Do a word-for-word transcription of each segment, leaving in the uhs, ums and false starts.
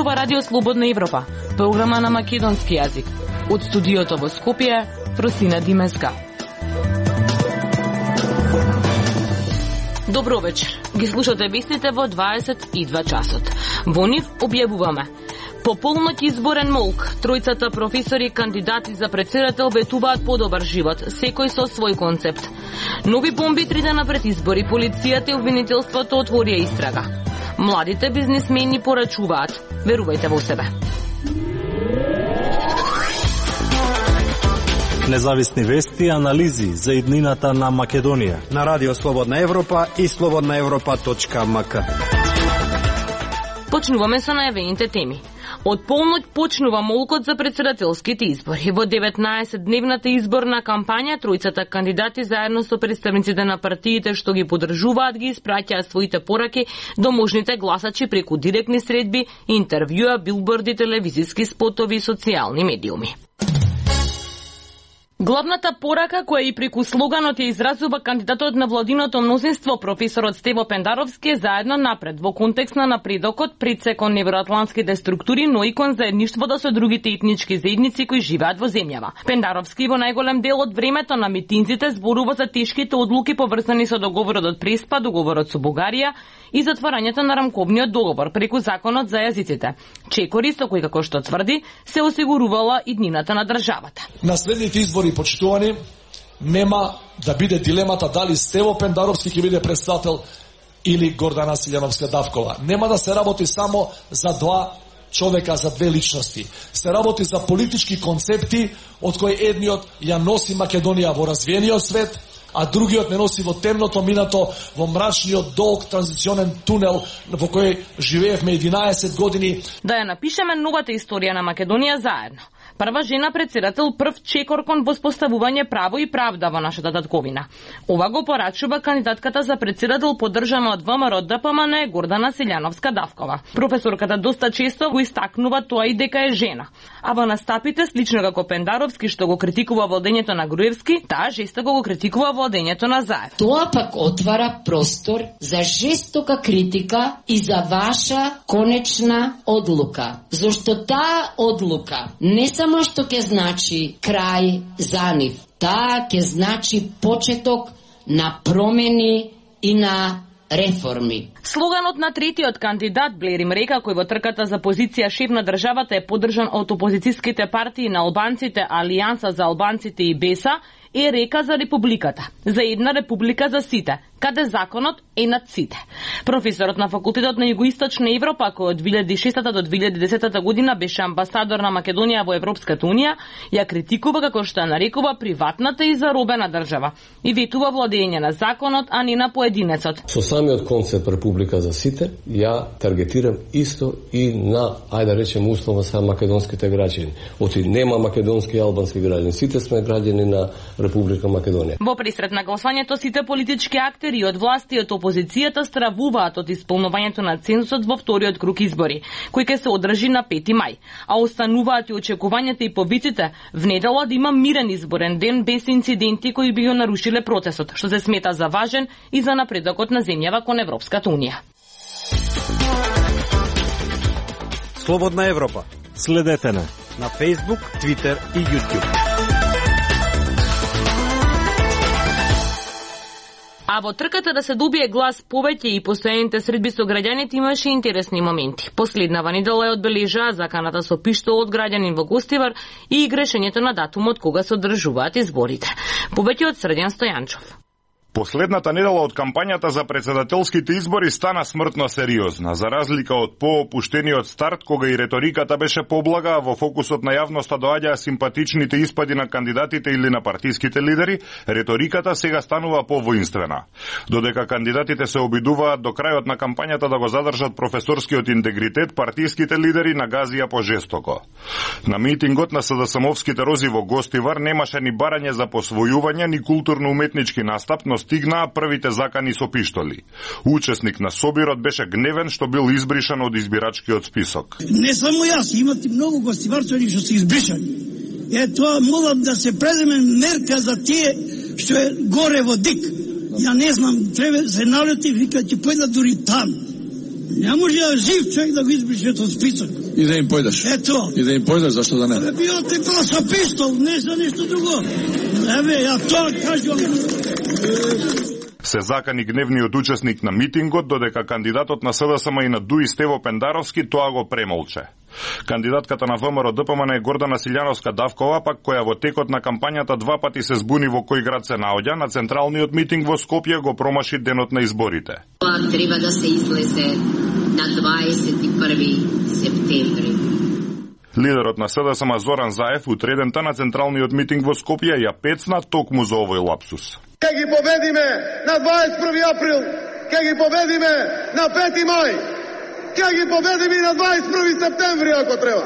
зборува Радио Слободна Европа, програма на македонски јазик. Од студиото во Скопје, Просина Димеска. Добро вечер. Ги слушате вестите во дваесет и два часот. Во нив објавуваме: по полноќ изборен молк, тројцата професори кандидати за претседател ветуваат подобар живот, секој со свој концепт. Нови бомби три дена пред избори, полицијата и обвинителството отворија истрага. Младите бизнисмени порачуваат: верувајте во себе. Независни вести и анализи за иднината на Македонија на Радио Слободна Европа и слободна европа точка ем ка. Почнуваме со најавените теми. Од полноќ почнува молкот за претседателските избори. Во деветнаесетдневната изборна кампања, тројцата кандидати заедно со представниците на партиите што ги поддржуваат ги испраќаат своите пораки до можните гласачи преку директни средби, интервјуа, билборди, телевизиски спотови и социјални медиуми. Главната порака која и преку слоганот ја изразува кандидатот на владиното мнозинство, професорот Стево Пендаровски, е заедно напред во контекст на напредокот пред се кон евроатлантските структури, но и кон заедништвото со другите етнички заедници кои живеат во земјава. Пендаровски во најголем дел од времето на митинзите зборува за тешките одлуки поврзани со договорот од Преспа, договорот со Бугарија и затварањето на рамковниот договор преку законот за јазиците. Чекори со кои, како што тврди, се осигурувала иднината на државата. На следните избори, почитувани, нема да биде дилемата дали Стево Пендаровски ќе биде председател или Гордана Силјановска Давкова. Нема да се работи само за два човека, за две личности. Се работи за политички концепти од кои едниот ја носи Македонија во развиениот свет, а другиот не носи во темното минато, во мрачниот долг транзиционен тунел во кој живеевме единаесет години. Да ја напишеме новата историја на Македонија заедно. Прва жена председател, прв чекор кон воспоставување право и правда во нашата татковина. Ова го порачува кандидатката за председател поддржана од ВМРО Д П М Н Гордана Силјановска Давкова. Професорката доста често го истакнува тоа и дека е жена. А во настапите, слично како Пендаровски што го критикува владењето на Груевски, таа жестоко го критикува владењето на Заев. Тоа пак отвара простор за жестока критика и за ваша конечна одлука. Зошто таа одлука не само што ќе значи крај за нив, таа ќе значи почеток на промени и на реформи. Слоганот на третиот кандидат Блери Мрека, кој во трката за позиција шеф на државата е поддржан од опозицијските партии на албанците, Алијанса за албанците и Беса, е река за републиката, за една република за сите, каде законот е над сите. Професорот на факултетот на Југоисточна Европа, кој од две илјади и шеста до две илјади и десета година беше амбасадор на Македонија во Европската унија, ја критикува како што ја нарекува приватната и заробена држава и ветува владење на законот, а не на поединецот. Со самиот концепт република за сите, ја таргетирам исто и на, ајде да речем условно са македонските граѓани. Оти нема македонски и албански граѓани, сите сме граѓани на Република Македонија. Во пресред на гласањето сите политички актери од власти и од опозицијата стравуваат од исполнувањето на цензусот во вториот круг избори, кој ќе се одржи на пети мај, а остануваат и очекувањата и повиците в недела да има мирен изборен ден без инциденти кои би го нарушиле процесот, што се смета за важен и за напредокот на земјава кон Европската унија. Слободна Европа. Следете на на Facebook, Twitter и YouTube. А во трката да се добие глас повеќе и постојаните средби со граѓаните имаше интересни моменти. Последнава недела ја одбележаа заканата со пиштол од граѓанин во Гостивар и грешењето на датумот кога се одржуваат изборите. Повеќе од Срдјан Стојанчов. Последната недела од кампањата за претседателските избори стана смртно сериозна, за разлика од поопуштениот старт кога и реториката беше поблага, во фокусот на јавноста доаѓаа симпатичните испади на кандидатите или на партиските лидери, реториката сега станува повоинствена. Додека кандидатите се обидуваат до крајот на кампањата да го задржат професорскиот интегритет, партиските лидери нагазија пожестоко. На митингот на СДСМовските рози во Гостивар немаше ни барање за посвојување, ни културно-уметнички настап, но стигнаа првите закани со пиштоли. Учесник на собирот беше гневен што бил избришан од избирачкиот список. Не само јас, имате многу гостиварчани што се избришани. Е, тоа молам да се преземе мерка за тие што е горе во ДИК. Ја не знам, треба се налети, вика, ќе појдат дури там. Не може жив човек да го избришет од список. И да им појдеш. Ето. И да им појдеш, зашто да не? Абе, био ти просто пистол, не за ништо друго. Еве, ја тоа кажувам. Се закани гневниот учесник на митингот, додека кандидатот на СДСМ и на ДУИ Стево Пендаровски тоа го премолче. Кандидатката на ВМРО Д П М Н е Гордана Силјановска-Давкова, пак која во текот на кампањата два пати се збуни во кој град се наоѓа, на централниот митинг во Скопје го промаши денот на изборите. Тоа треба да се излезе на дваесет и први септември. Лидерот на СДСМ Зоран Заев утредента на централниот митинг во Скопје ја пецна токму за овој лапсус. Ке ги победиме на дваесет и први април, ке ги победиме на пети мај, ке ги победиме на дваесет и први септември ако треба.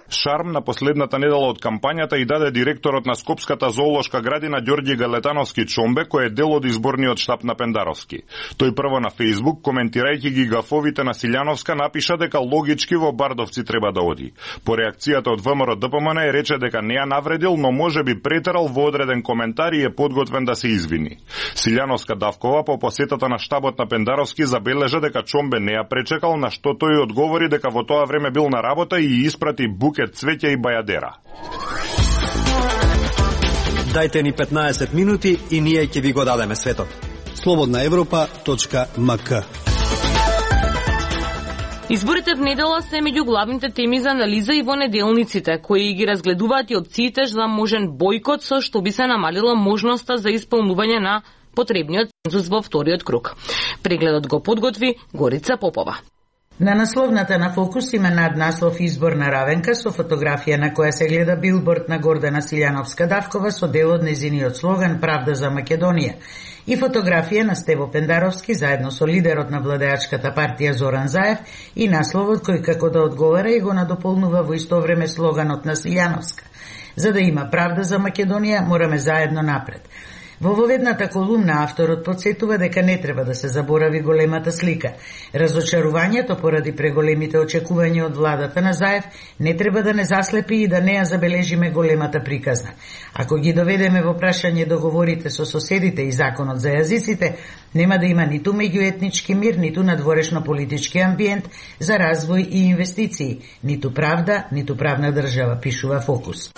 Шарм на последната недела од кампањата и даде директорот на Скопската зоолошка градина Ѓорѓи Галетановски Чомбе, кој е дел од изборниот штаб на Пендаровски. Тој прво на Фејсбук, коментирајќи ги гафовите на Силјановска, напиша дека логички во Бардовци треба да оди. По реакцијата од ВМРО Д П М Н е рече дека не ја навредил, но може би претерал во одреден коментар и е подготвен да се извини. Силјановска-Давкова по посетата на штабот на Пендаровски забележа дека Чомбе не ја пречекал, на што тој одговори дека во тоа време бил на работа и испрати букет цвеќе и бајадера. Дајте ни петнаесет минути и ние ќе ви го дадеме светот. слободна европа точка м к. Изборите в недела се меѓу главните теми за анализа и во неделниците, кои ги разгледуваат и опциите за можен бојкот, со што би се намалила можноста за исполнување на потребниот цензус во вториот круг. Прегледот го подготви Горица Попова. На насловната на Фокус има наднаслов изборна равенка со фотографија на која се гледа билборд на Гордана Силјановска-Давкова со дел од незиниот слоган Правда за Македонија и фотографија на Стево Пендаровски заедно со лидерот на владеачката партија Зоран Заев и насловот кој како да одговара и го надополнува во исто време слоганот на Силјановска. За да има правда за Македонија, мораме заедно напред. Во воведната колумна авторот подсетува дека не треба да се заборави големата слика. Разочарувањето поради преголемите очекувања од владата на Заев не треба да не заслепи и да не ја забележиме големата приказна. Ако ги доведеме во прашање договорите со соседите и законот за јазиците, нема да има ниту меѓуетнички мир, ниту надворешно политички амбиент за развој и инвестиции, ниту правда, ниту правна држава, пишува Фокус.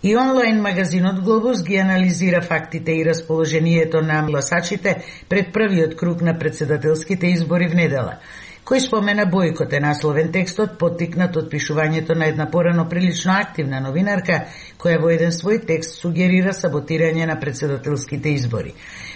И онлайн магазинот Глобус ги анализира фактите и расположението на гласачите пред првиот круг на председателските избори в недела. Кој спомена бојкот е насловен текстот, поттикнат од пишувањето на една порано прилично активна новинарка, која во еден свој текст сугерира саботирање на председателските избори.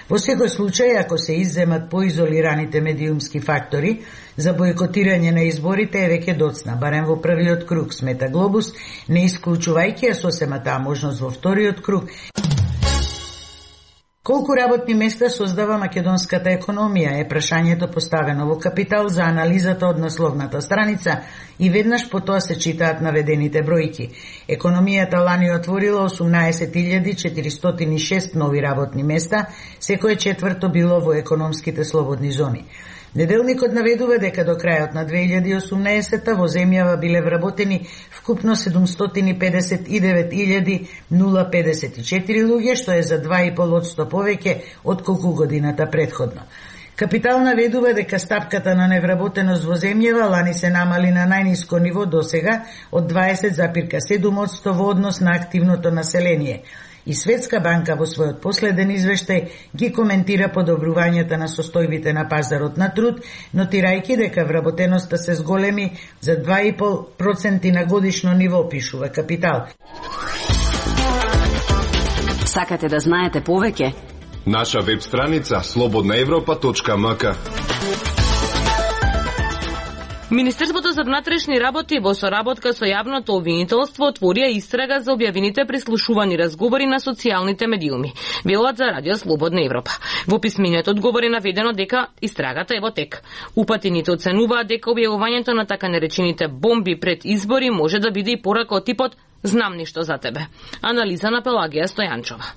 Во секој случај, ако се изземат поизолираните медиумски фактори, за бојкотирање на изборите е веќе доцна, барем во првиот круг, смета Глобус, не исклучувајќи ја сосема таа можност во вториот круг. Колку работни места создава македонската економија е прашањето поставено во Капитал за анализата од насловната страница и веднаш по тоа се читаат наведените бројки. Економијата лани отворила осумнаесет илјади четиристотини и шест нови работни места, секое четврто било во економските слободни зони. Неделникот наведува дека до крајот на две илјади и осумнаесета во земјава биле вработени вкупно седумстотини и педесет и девет илјади педесет и четири луѓе, што е за два и пол одсто повеќе од колку годината предходно. Капитал наведува дека стапката на невработеност во земјава лани се намали на најниско ниво досега од дваесет зарез седум одсто во однос на активното население. И Светска банка во својот последен извештај ги коментира подобрувањата на состојбите на пазарот на труд, нотирајќи дека вработеноста се зголеми за два и пол проценти на годишно ниво, пишува Капитал. Сакате да знаете повеќе? Наша веб страница слободна европа точка м к. Министерството за внатрешни работи во соработка со јавното обвинителство отворија истрага за објавените прислушувани разговори на социјалните медиуми, велат за Радио Слободна Европа. Во писмениот одговор е наведено дека истрагата е во тек. Упатените оценуваат дека објавувањето на така наречените бомби пред избори може да биде и порака од типот "Знам ништо за тебе". Анализа на Пелагија Стојанчова.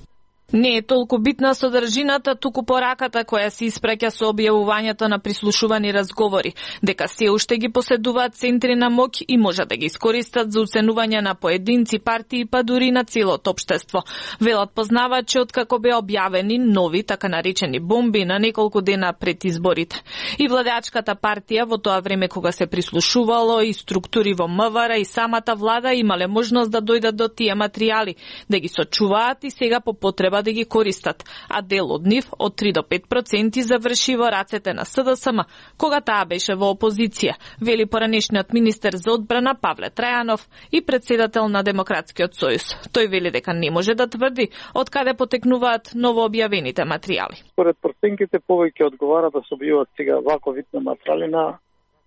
Не е толку битна содржината, туку пораката која се испраќа со објавувањето на прислушувани разговори, дека се уште ги поседуваат центри на моќ и може да ги искористат за уценување на поединци, партии, па дури на целото општество. Велат познавачи откако беа објавени нови, така наречени бомби на неколку дена пред изборите. И владеачката партија во тоа време кога се прислушувало и структури во МВР и самата влада имале можност да дојдат до тие материјали, да ги сочуваат и сега по потреба да ги користат, а дел од нив, од три до пет проценти, заврши во рацете на СДСМ, кога таа беше во опозиција, вели поранешниот министер за одбрана Павле Трајанов и председател на Демократскиот сојуз. Тој вели дека не може да тврди од каде потекнуваат новообјавените материјали. Според проценките повеќе одговара да се објавуваат сега вако вид на материјали на,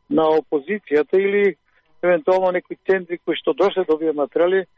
на опозицијата или евентуално некои центри кои што дошле да објават материјали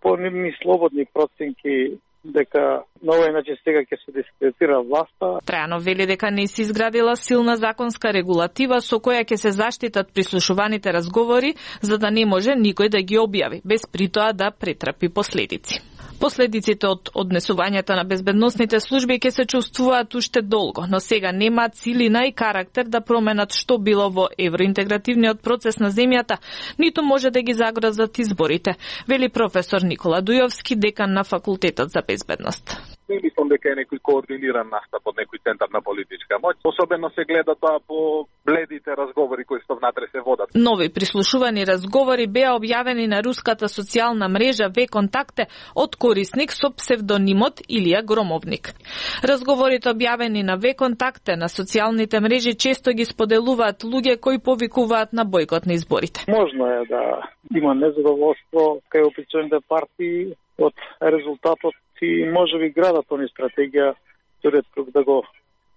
по нивни слободни проценки дека на овој начин сега ќе се дискредитира власта. Трајанов вели дека не се изградила силна законска регулатива со која ќе се заштитат прислушуваните разговори, за да не може никој да ги објави, без притоа да претрпи последици. Последиците од однесувањето на безбедносните служби ќе се чувствуваат уште долго, но сега немаат силина и карактер да променат што било во евроинтегративниот процес на земјата, ниту може да ги загрозат изборите, вели професор Никола Дујовски, декан на Факултетот за безбедност. Не мислам дека е некој координиран настап од некој центар на политичка моќ. Особено се гледа тоа по бледите разговори кои што внатре се водат. Нови прислушувани разговори беа објавени на руската социјална мрежа Вконтакте од корисник со псевдонимот Илија Громовник. Разговорите објавени на Вконтакте на социјалните мрежи често ги споделуваат луѓе кои повикуваат на бойкот на изборите. Можно е да има незадоволство кај опозиционите партии од резултатот и може би градат они стратегија вториот круг да го,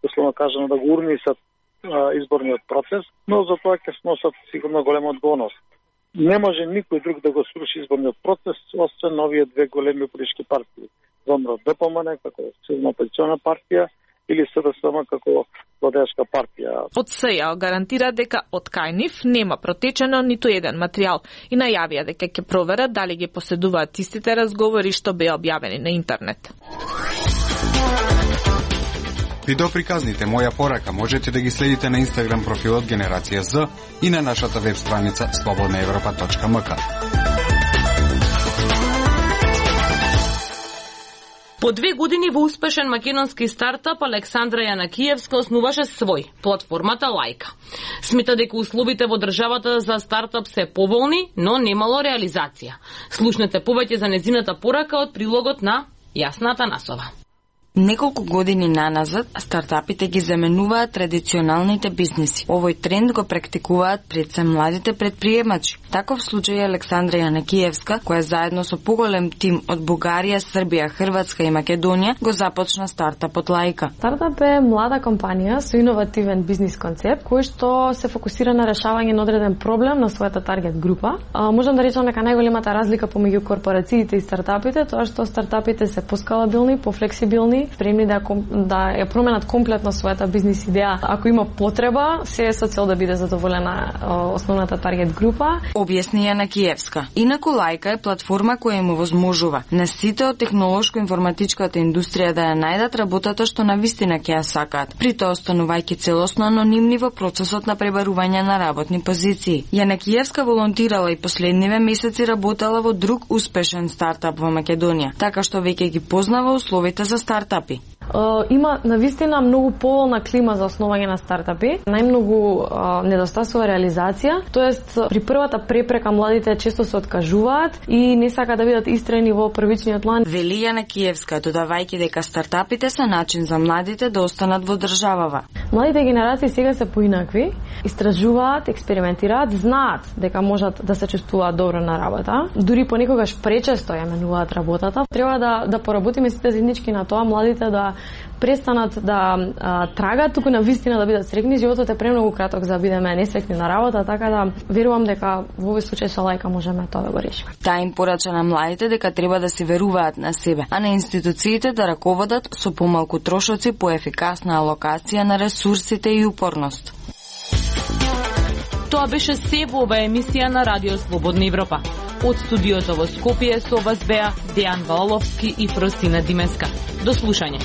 условно кажано, да го урнисат а, изборниот процес, но за тоа ќе сносат сигурно голема одговорност. Не може никој друг да го сруши изборниот процес, освен овие две големи политички партии. ВМРО Д П М Н како силна опозициона партија или СДСМ како владеачка партија. Од СЈО гарантира дека од кај нив нема протечено ниту еден материјал и најавија дека ќе проверат дали ги поседуваат истите разговори што беа објавени на интернет. Видеоприказните Моја порака можете да ги следите на Инстаграм профилот Генерација З и на нашата веб страница слободна европа точка м к. По две години во успешен македонски стартап Александра Јанакиевска основаше свој, платформата Лајка. Смета дека условите во државата за стартап се поволни, но немало реализација. Слушнете повеќе за незината порака од прилогот на Јасна Атанасова. Неколку години наназад, стартапите ги заменуваат традиционалните бизнеси. Овој тренд го практикуваат пред се младите предприемачи. Таков случај е Александра Јанакиевска, која заедно со поголем тим од Бугарија, Србија, Хрватска и Македонија го започна стартапот Лајка. Стартап е млада компанија со иновативен бизнис концепт, кој што се фокусира на решавање на одреден проблем на својата таргет група. А, можам да речам дека најголемата разлика помеѓу корпорациите и стартапите тоа што стартапите се поскалабилни, пофлексибилни, спремни да, да ја променат комплетно својата бизнис идеја. Ако има потреба, се е со цел да биде задоволена основната таргет група. Објасни Јанакиевска. Инаку Лајка е платформа која им овозможува на сите од технолошко-информатичката индустрија да ја најдат работата што навистина ќе ја сакаат, при тоа останувајќи целосно анонимни во процесот на пребарување на работни позиции. Јанакиевска волонтирала и последниве месеци работела во друг успешен стартап во Македонија, така што веќе ги познава условите за стартап. Uh, има навистина многу поволна клима за основање на стартапи, најмногу uh, недостасува реализација, тоест при првата препрека младите често се откажуваат и не сакаат да бидат истрени во првичниот план. Вели Јанакиевска, додавајќи дека стартапите се начин за младите да останат во државава. Младите генерации сега се поинакви, истражуваат, експериментираат, знаат дека можат да се чувствуваат добро на работа, дури понекогаш пречесто ја менуваат работата. Треба да да поработиме сите заеднички на тоа младите да престанат да а, трагаат, туку на вистина да бидат среќни. Животот е премногу краток за да бидеме несреќни на работа, така да верувам дека во овој случај со Лајка можеме тоа да го решиме. Таа им порача на младите дека треба да се веруваат на себе, а на институциите да раководат со помалку трошоци, поефикасна алокација на ресурсите и упорност. Тоа беше се во оваа емисија на Радио Слободна Европа. Од студиото во Скопје со вас беа Дејан Валовски и Фросина Димеска. До слушање.